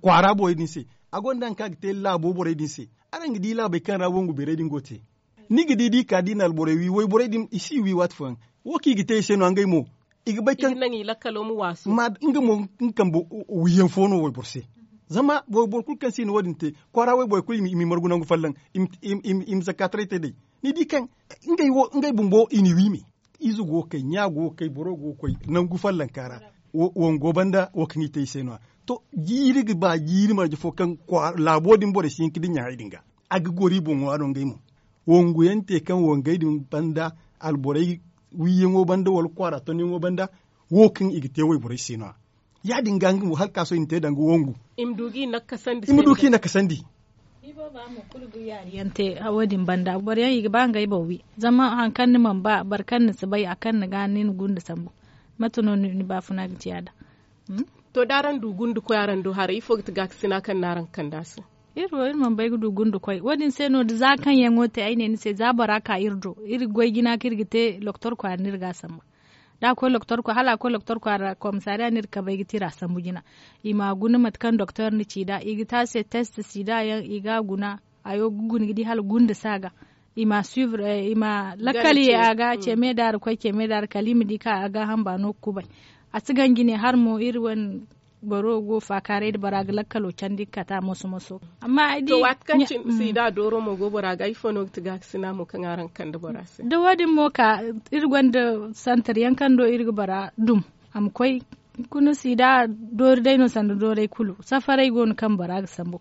kwaara borey din se. A gonda hari kaŋ a ga te laabo borey din se. Araŋ ga di laabey kaŋ ra wongu beerey din go ga te ni ga di da i ka da i na alborey wi wayborey din i si wi waati fooyaŋ. Wo kaŋ i ga te i se no ngey mo I ga bay kaŋ naŋ i lakkalo ma waasu. Ma nga mo nga kambe wiyaŋ fo no wayboro se. Zama wayboro kulu kaŋ se i na wo- din te kwaara wayborey kulu i ma i margu nangu folloŋ. I ma zakka taray te day. Ni di kaŋ ngey bumbo i n'i wi me. Ize go ga kay ɲa go ga kay boro go ga koy nangu follonka ra. Wango banda wo kaŋ i te i se no- ya. To, jiiri ga ba jiiri marje fo kaŋ laabo din borey si hin ga dinya hari din ga. A ga goro i boŋo a no ngey mo. Wangu yaŋ te kaŋ wangey din banda alborey wiiyaŋo banda wala kwaara tonyaŋo banda. Wo kaŋ i ga te wayborey se no- ya. Ya- din ga nga mo hala kaaso i na te danga wangu. I ma du ga i nakkasandi. Ni booba mo kulu ga yaari yaŋ te. Wo- din banda boro yaŋ i ga ba ngey boŋ wi. Zama hari kaŋ ni mana ba boro kaŋ ni si bay a kaŋ ni ga ni na gunda sambu. Mate no ni baafuna ga ci ya- din? To da araŋ du gundukoy araŋ du haray ifo ga ti gaakasina kaŋ ni araŋ ga kande a se? Iri wo iri mana bay ga du gundukoy wo- din se no da za kaŋ yaŋo te ay ne ni se za bora ka iri do iri ga goy jina kaŋ iri ga te loktor kwaara no iri ga a sambu. Da a koy loktor kwaara hala a koy loktor kwaara komisariya no iri ga kabay ga te iri a sambu jina. I ma a guna mate kaŋ doktor na ci nd'a i ga te a se test sida yaŋ i ga a guna. Hayo ga guna ga di hala gunda si a ga. I ma suivre i ma lakkal ye a ga ce me da ra koy ce me da ra kala i ma di kaŋ a ga hamba no ga kubay. A si ganji ne hala mo iri wane boro go faakaaray nda bora ga lakkalo candi ga kate a moso moso. Amma ay di waati kaŋ cine sida dooro mo go bora ga ifo no ga ti gaakasina mo kaŋ araŋ ga kande bora se? Da wo- din mo ka iri gonda santar yaŋ kaŋ do iri ga bora dum a ma koy. Hunkuna sida doori day no sanda dooray kulu safaray go no kaŋ bora ga sambu.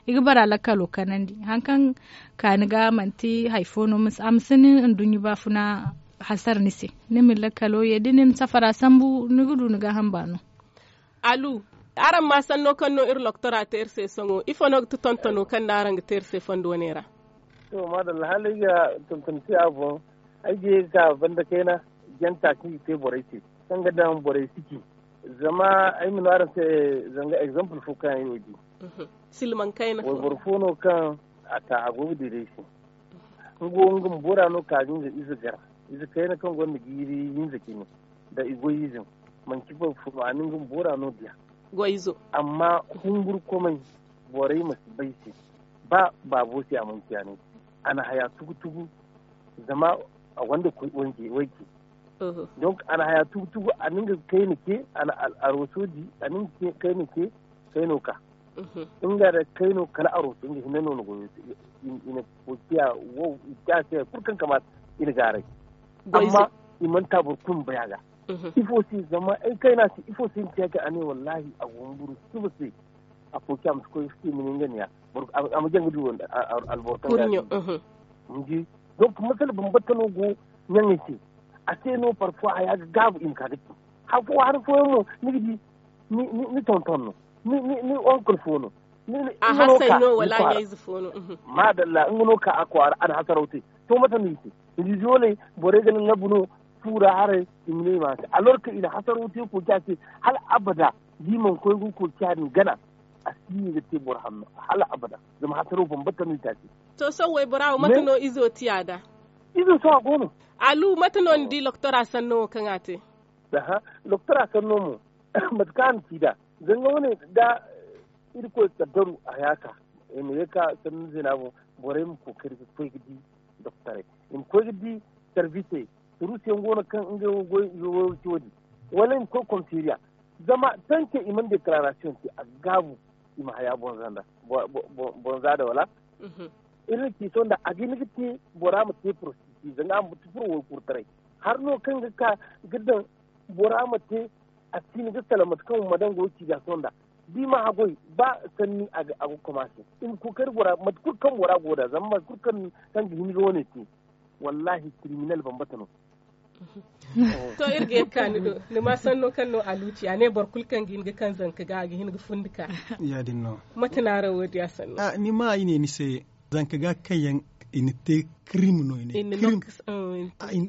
I ga bora lakkalo kanandi hari kaŋ ka ni ga manti hari fo no a ma si ni nduɲɲa baafuna hasara ni se. Ni ma lakkalo ye da ni na safara sambu ni ga du ni gaaham baano. Alu, araŋ ma sanno kaŋ no iri loktora te iri se sohõ ifo no ga ti tontono kaŋ no araŋ ga te iri se fondo wane ra? To maadalla hala ay ga tonton te a boŋ. Ay ga ye ga ka banda kayna janta kaŋ i te borey se kaŋ ga daŋ borey si ci. Zama ay ma no araŋ se zanga exemple fo kaŋ ay wo di. Silmaŋ kayna fo wayboro fo no kaŋ a ta a go ga diray se. Nga wo nga ma bora no ka ga nga ize gar ize kayna kaŋ gonda jiiri hinza cine nda i goy ize. Manci boro fo no a na nga ma bora no diya. Amma humburkomey borey ma si bay se. Ba baabo se a mana ciya ne a na haya tugu tugu. Zama a gonda wayce. Donc a na haya tugu tugu a na nga kayna ce a na arooso di a na nga kayna ce. Kayno ka nga da kayno kala arooso nga hinne no na goyo. I na koociya wo i te a se hari kulu kaŋ kamaata. I na gaaray amma i mana ta boro kulu ma bay a ga. Ifo se zama ay kayna se ifo se ni te a ga a ne wallahi a go humburu suba se. A fo ci a ma si koy ga ci ma ne nga ne ya a ma jaŋ ga du alboro kaŋ ga. Ni di donc masala bambata no go ɲaŋey se. A se no parfois haya ga gaabu i ma ka ga ci hari fo hari fooyaŋ mo ni ga di ni tonton no ni oncle fo no. A hasay no wala ɲayze fo no? Maadalla nga no ka a kwaara a na hasaraw te. To mate no i te? Ni di zooley borey ga lallabu no. Fuura haray i ma ne i ma a te alors que i na hasaraw te kooca se. Hala abada da i mana koy ga kooca din gana a si ye ga te boro hanno hala abada. Zama hasaraw bambata no i te a se. To sohõ waybora wo mate no izo ti a da? Izo sohõ a go no. Alu mate no ni di loktora sanno wo kaŋ a te? Aha, loktora sanno mo mate kaŋ a na ci nd'a. Zanga wane da irkoy kaddaru a ya ka i ma ye ka sanni zeena boŋ. Borey ma kookari ga koy ga di doktorey i ma koy ga di. Sarvisey, ruusiyaŋ go no kaŋ ngey wo goy i go goy ga ci wo- din wala i ma koy komisariya. Zama tanke i mana dekararasiyoŋ te a ga gaabu i ma haya boŋ za nda boŋ za nda wala? Iri na ci sohõ nda a ga hin ga te bora ma te porosisi zanga a ma ti furo waykurtaray. Hari no kaŋ ga ka ga daŋ bora ma te a si hin ga salaŋ mate kaŋ ma daŋ go ga ci ga sohõ nda da i ma haggoy ba sanni a ga komaase. I ma kookari bora mate kulu kaŋ bora go nd'a zama mate kulu kaŋ ga hin ga wane te. Wallahi kiriminal bambata no. To iri ga ye ga ka ni do ni ma sanno kaŋ no a luuci a ne boro kulu kaŋ ga hin ga kaŋ zanka ga a ga hin ga fundi ka. Ya- din no. Mate no araŋ wo- din a sanno? Ni ma i ne ni se zanka ga kaŋ yaŋ i na te kirim no i ne.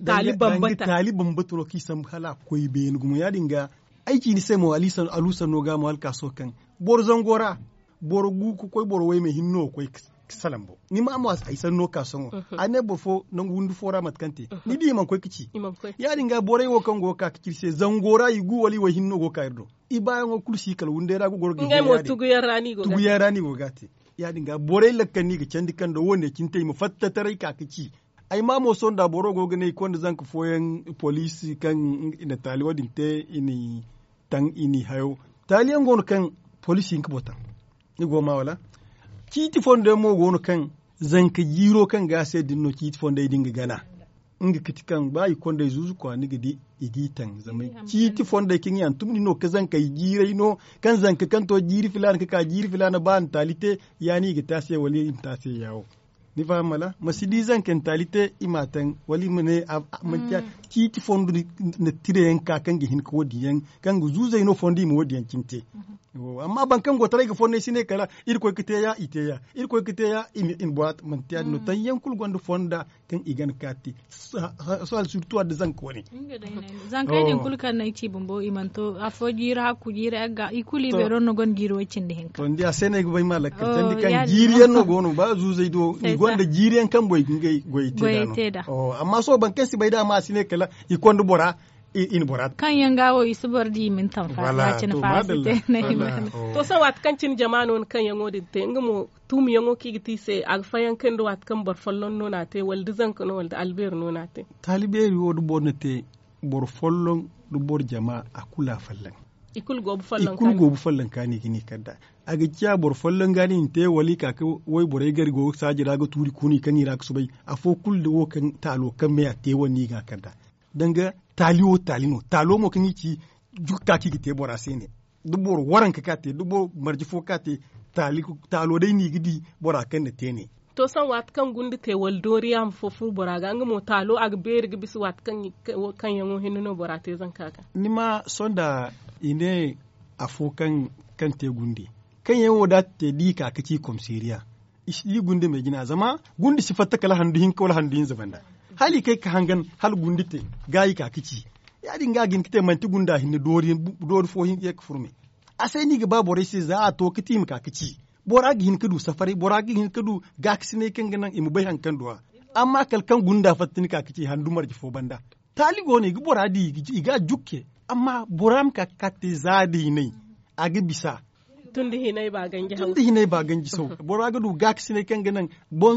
Taali bambata no kaŋ i sambu hala a koy beene gumo ya- din ga. Ay ci ni se mo alu sanno ga mo hala ka sohõ kaŋ boro zango ra boro gu ga koy boro wayme hinne no ga koy ga salaŋ boŋ. Ni ma a mo ay sanno ka sohõ a ne boro fo nangu windi fo ra mate kaŋ te ni di i mana koy ga ci. Ya- din ga borey wo kaŋ go ga ka ga ci iri se zango ra i gu wala i way hinne no go ga ka iri do. I baayaŋo kulu si kala windey ra ga goro ga i tuguyaŋ ra no i go ga a te. Ya- din ga borey lakkal no i ga candi kaŋ da wo- ne cine te i ma fatta taray ka ga ci. Ay ma mo sohõ nda boro go ga ne i konda zanka fooyaŋ poliisi kaŋ i na taali wo- din te i n'i taŋ i n'i hayo. Taali yaŋ go no kaŋ poliisi hinka boŋ taŋ. Ni go ga ma wala? Ciiti fondo yaŋ mo go no kaŋ zanka jiiro kaŋ ga a se din no ciiti fondey din ga gana. Nga ga ti kaŋ ba i konda i zuuzu kwa ni ga di i g'i taŋ zama ciiti fondey kaŋ i hantum din no ka zankey jiiray no. Kaŋ zanka kaŋ to jiiri filaana ka ka jiiri filaana ba a na taali te ya no i ga te a se wala i ma te a se ya wo. Ni faham wala? Ma si di zanka ntaali te i m'a taŋ wala i ma ne manti ciiti fondo na tira yaŋ ka kaŋ ga hin ka wo- din yaŋ kaŋ ga zuuzay no fondo i ma wo- din yaŋ cine te. Amma boro kaŋ go taray ga fondo ay si ne kala irkoy ga te ya i te ya. Irkoy ga te ya i ma borat manti ya- din no taŋ yaŋ kulu gonda fonda kaŋ i gana ka te. Sohal sirtu adda zanka wane. Zankey din kulu kaŋ no ay ci bumbo i mana to afo jiiri hakku jiiri yagga i kulu i beero no gonda jiiri way- cindi hinka. To ni di a se no ay ga bay ma lakkal candi kaŋ jiiri yaŋ no go no ba zuuzey do i gonda jiiri yaŋ kaŋ boy ga ngey goyey te da no. Amma sohõ boro kaŋ si bay da a ma a si ne kala i konda bora i na bora. Kaŋ yaŋ ga wo i si boro di i ma ni taŋ faasa cine faasa te. To sohõ waati kaŋ cine jama no ni kaŋ yaŋo din te nga mo tuumiyaŋo kaŋ i ga te i se a ga fayankandi waati kaŋ boro folloŋ no no a te wala da zanka no wala da albeeri no no a te. Taali beeri wo da boro na te boro folloŋ da boro jama a kulu a folloŋ. I kulu go ga folloŋ kaani ga ni kand'a. A ga ciya boro folloŋ ga ni na te wala i ka ga wayborey gar go ga saaji ra ga tuuri kuuni kaŋ i ra ga soobay afo kulu da wo kaŋ taalo kaŋ me a te wane no i ga a kand'a. Danga taali wo taali no taalo mo kaŋ i ci jukka kaŋ i ga te bora se ne da boro waranka ka te da boro marje fo ka te. Taalo day no i ga di bora kaŋ na te ne. To sohõ waati kaŋ gunda te wala dooriya ma fo furo bora ga nga mo taalo a ga beeri ga bisa waati kaŋ yaŋo hinne no bora te zanka ga. Ni ma sohõ da i ne afo kaŋ te gunde kaŋ yaŋ wo da a te da i ka ga ci komiseeriya. I si di gunda me jina zama gunda si fatta kala handu hinka wala handu hinza banda hala i kay ga hangan hala gunda te ga i ka ga ci. Ya- din ga a ga hin ga te manti gunda hinne doori fo ye ga furo me. A se no i ga ba borey se za a to ga te i ma ka ga ci bora ga hin ga du safaray bora ga hin ga du gaakasinay kaŋ ga naŋ i ma bay hari kaŋ du a. Amma kala kaŋ gunda fatta ni ka ga ci handu marje fo banda taali go no i ga bora di i ga a jukke. Amma bora ma ka ga ka te za da hinay a ga bisa. Tun da hinay ba ganji saw bora ga du gaakasinay kaŋ ga naŋ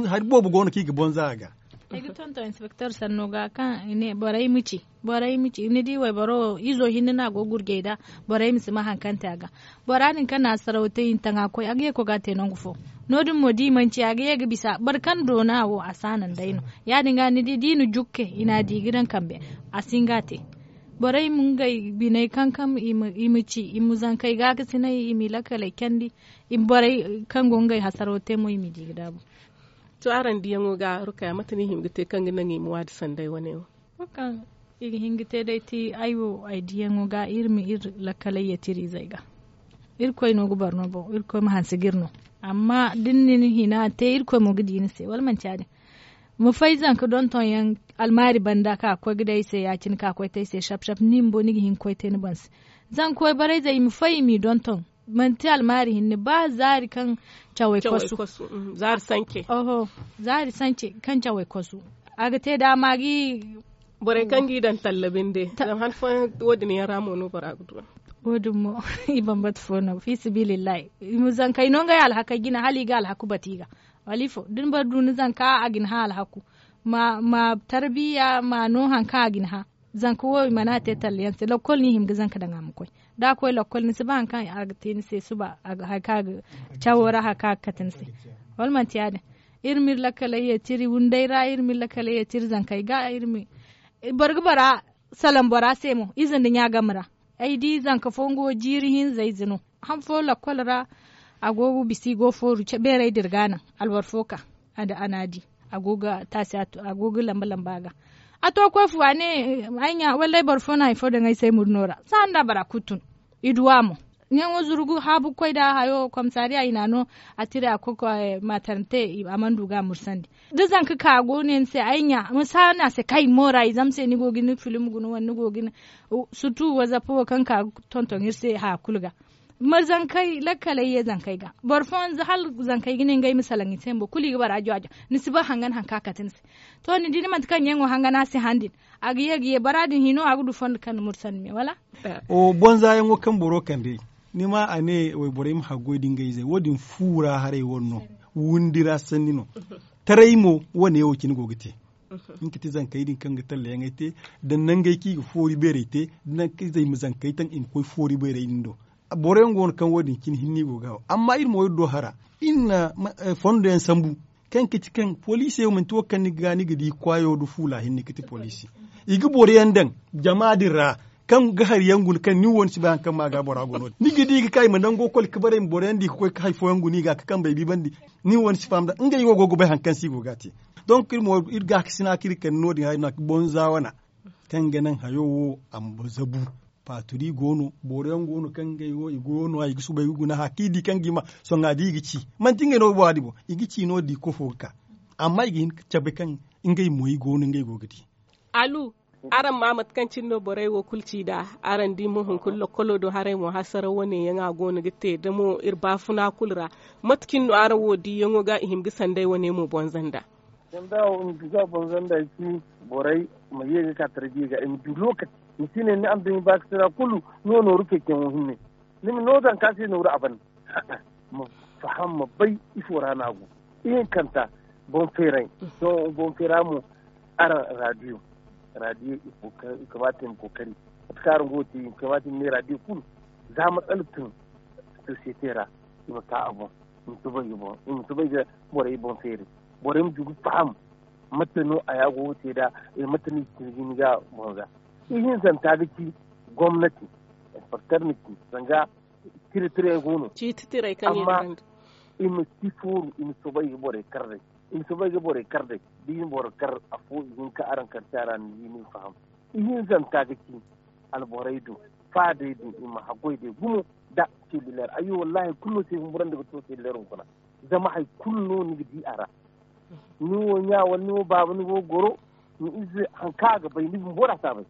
hari boobo go no kaŋ i ga bonza a ga. Ay ga tonton inspektor sanno ga kaŋ i ne borey ma ci borey ma ci ni di wayboro wo izo hinne no a go ga gurjay nd'a. Borey ma si ma hari kaŋ te a ga bora din kaŋ na a saraw te i na taŋ a ga koy a ga ye ga koy ga a te nangu fo. No- din mo da i mana ci a ga ye ga bisa boro kaŋ doona wo a si a naŋ day no. Ya- din ga ni di da i na jukke i na a di ga daŋ kambe a si hin ga a te. Borey ma ngey biney kankam i ma ci i ma zankey gaakasinay i m'i lakaley candi. I ma borey kaŋ go ngey hasaro te mo i m'i di ga daabu. To araŋ diyaŋo ga rukaya mate no i hima ga te kaŋ ga naŋ i ma waadi sanday wane wo? Wo kaŋ i ga hin ga te day ti ay wo ay diyaŋo ga iri ma iri lakaley yeetiri izey ga. Irkoy no ga boro no boŋ irkoy ma hanse ga iri no. Amma da ni na ni hina te irkoy mo ga di ni se wala manti ya- din? Ma fay zanka donton yaŋ almaari banda ka koy ga day ay se ya- cine ka koy te ay se shap shap ni bumbo ni ga hin ga koy te ni boŋ se. Zanka wayborey zey i ma fay i m'i donton manti almaari hinne ba zaari kaŋ cawey kosu. Zaari sance kaŋ cawey kosu. A ga te daama ga i borey kaŋ ga i daŋ talla binde zama han fooyaŋ wo- din yaŋ ra mo no bora ga du a. Wo- din mo i bambata fo no fi sabilillahi. I ma zankey no ngey alhakey jina hala i ga alhaku batu i ga. Wala ifo da ni boro du ni zanka a ga ni hã alhaku. Ma tarbiya ma no hari kaŋ a ga ni hã. Zanka wo i mana a te talla yaŋ se lakkol no i hima ga zanka daŋ a ma koy. Da a koy lakkol ni si ba hari kaŋ a ga te ni se suba hari kaŋ a ga cawo ra hari kaŋ a ga kate ni se. Wala manti ya- din? Iri ma iri lakkaley yeeti iri wunday ra iri ma iri lakkaley yeeti iri zankey ga iri ma boro ga bora salaŋ bora se mo ize nda ɲa game ra. Ay di zanka fo nga wo jiiri hinza ize no. Han fo lakkol ra a go ga bisa i go fooru beerey da iri ga a naŋ alboro fo ka a na a di. A go ga taasi a go ga lamba lamba a ga. A to koy fu a ne ay ɲa wallay boro fo na hari fo daŋ ay se murno ra sahan da bora kulu tun. I du a mo. Ɲaŋo zuru ga haabu ga koy nda hayo komisariya i na a no. A tira a koy matarante a mana du ga a mursandi. Da zanka ka a go ne ni se ay ɲa ma si a no a se kay moora i zama se ni go ga ni filim guna wala ni go ga ni surtu wazapo wo kaŋ ka ga tonton iri se haya kulu ga. Ma zankey lakkaley ye zankey ga boro fooyaŋ hala zankey ga ne ngey ma salaŋ i se bumbo kulu i ga bara jwa jwa. Ni si ba hangan hari kaŋ a kate ni se. To ni di ni manti kaŋ ɲaŋo hangan a si han din a ga ye ga ye bara din hino a ga du fondo kaŋ ni mursandi me wala? Bonza yaŋo kaŋ boro kande ni ma a ne wayborey ma haggoy da ngey izey wo- din fu ra haray wane no. Wundi ra sanni no. Taray mo wane wo cine go ga te. Nga ga ti zankey din kaŋ ga tallayaŋey te, da nangey kaŋ i ga foori beerey te, da nangu kaŋ i ma zankey taŋ i ma koy foori beerey din do. Boro yaŋ go no kaŋ wo- din cine hinne i go ga haw. Amma iri mo iri do hara, iri na fondo yaŋ sambu, kaŋ ga ti kaŋ poliisey wo manti wo kaŋ ni ga di kwaayo nda fuula hinne ga ti poliisi. I ga boro yaŋ daŋ jama din ra, kaŋ ga hari yaŋ guna kaŋ ni wo ni si bay hari kaŋ ma ga bora go no- din ni ga di i ga ka i ma nango koli ga bare i ma boro yaŋ di ga koy ga hari fooyaŋ guna i ga ka kambey bibandi. Ni wo ni si faham da ngey wo go ga bay hari kaŋ se i go ga a te. Donk iri mo iri ga a ga sina kaŋ iri kande no- din hari no a ga bonza wana, kaŋ ga naŋ hayo wo a ma zabu. Paaturi go no, boro yaŋ go no kaŋ ngey wo i go no i ga subay ga guna haya kaŋ i di kaŋ ga i ma sohõ a di i ga ci. Manti ngey no ga boŋ a di boŋ i ga ci no- din kofo ga ka. Amma i ga hin ga cabe kaŋ ngey mo i go no ngey go ga di. Alu, araŋ ma mate kaŋ cine no borey wo kulu ci nd'a. Araŋ di mo hunkuna lokkolo do haray mo hasaraw wane yaŋ a go no ga te da mo iri baafuna kulu ra. Mate cine no araŋ wo diyaŋo ga i hima ga sanday wane mo bonza nd'a? Sanda wo i ma duga bonza nd'a ci, borey ma ye ga ka tarbiya ga i ma du lokaci. Ni si ne ni araŋ da ni baakasina kulu, ni wo nooru ceeciyaŋo hinne. Ni ma no zanka se nooru a ban. Ma faham ma bay ifo ra no a go. Ihinkanta, boŋ feeray. Sohõ boŋ feera mo, araŋ raadiyo. Raadiyo i kamaata i ma kookari. Mate kaŋ araŋ go ga te i kamaata i ma ne raadiyo kulu. Za matsala tun sosiyete ra, i ma ka a boŋ. I ma soobay ga boŋ i ma soobay ga borey boŋ feeri. Borey ma du ga faham mate no a ya go ga te nd'a. Mate no i ga te ga ni ga boŋ za. Ihinkanta ga ci gomnati, inspekter na ci zanga. Tira tira yaŋ go no. Ciiti tiray kaŋ i na ganda. I ma si fooru i ma soobay ga borey kar day. I ma soobay ga borey kar day. Da i na boro kar afo i hin ka araŋ kar caara ni di ni ga faham. Ihinkanta ga ci alborey do, faadey do i ma haggoy day gumo. Nda selliler ayyo wallaahi hari kulu no se humburandi ga to selliler hunkuna. Zama hari kulu no ni ga di a ra. Ni wo ɲa wala ni wo baaba ni go ga goro. Ni ize hari kaŋ a ga bay ni bumbo ra si a bay.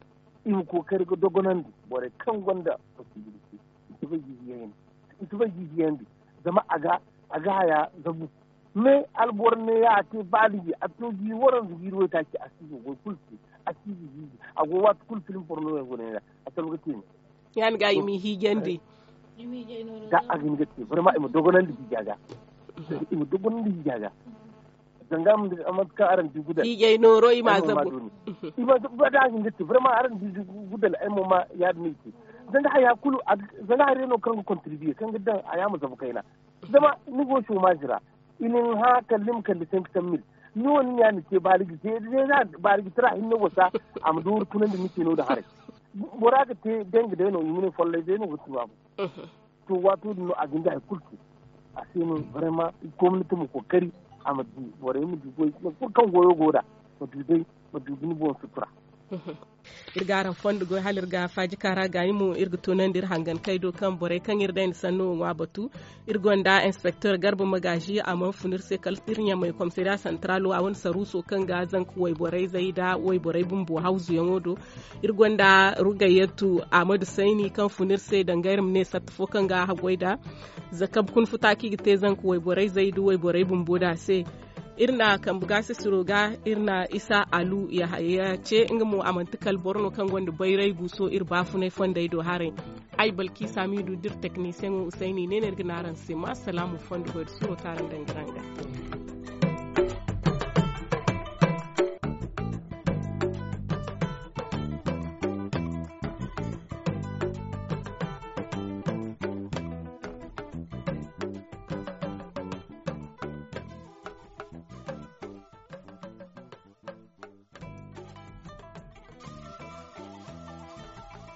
I ma kookari ga dogonandi borey kaŋ gonda posibilite. I si bay ga i hiyandi. Zama a ga haya zabu. Me alboro ne ya a te baaliji a to ga i waranza ga i waytaaci a si ga goy kulu te. A si ga hiiji a go waati kulu film porno yaŋ go ne ra. A salba ga te ne. Ya ni ga i m'i hiijandi. Da a ga hin ga te barma i ma dogonandi hiija ga. I ma dogonandi hiija ga. Zanga mate kaŋ araŋ di gudal hiijay nooro i ma zabu. I ma zabu da a ga hin ga te barma araŋ di gudal ay mo ma ya- din no i te. Zanga haya kulu zanga haya no kaŋ ga kontribiye kaŋ ga daŋ haya ma zabu kayna. Zama ni go chomage ra i na ni hã kala ni ma kande cinq cent mille. Ni wo ni ɲa ni te baaliji te. Baariji tira hinne wasa a ma dooru tunandi ni te no- din haray. Bora ga te danga day no i ma ne follay day no ga tun a boŋ. To waato din no a ga hin ga hari kulu te. A se no barma gomnati ma kookari a ma du borey ma du goy nangu kulu kaŋ goyo go nd'a. Ma du day ma du ga ni boŋ sutura. Iri ga araŋ fondo goy hala iri ga faaji kaara gaani mo iri ga tunandi iri hangankey do kaŋ borey kaŋ iri day nda sanno wo ŋwa batu. Iri gonda inspektor garba magaazi a mana fun iri se kala iri ɲamay komisariya santaralo a wane saruuso kaŋ ga zanka wayborey zay nda wayborey bumbo hawzuyaŋo do. Iri gonda rugayyatu ahmadu sayni kaŋ fun iri se danga iri ma ne satta fo kaŋ ga haggoy nd'a. Za kabe kuna futa kaŋ i ga te zanka wayborey zay nda wayborey bumbo nd'a se. Iri na kambe gaasisiro ga iri na isa alu yahaya ce nga mo a manti kala boro no kaŋ gonda bayray guuso iri baafunay fondey do haray. Ay balki samidu da iri teknisiyeŋo usayni ne no iri ga ne araŋ se ma salaamu fondo goy da suro kaŋ araŋ daŋ ga araŋ ga.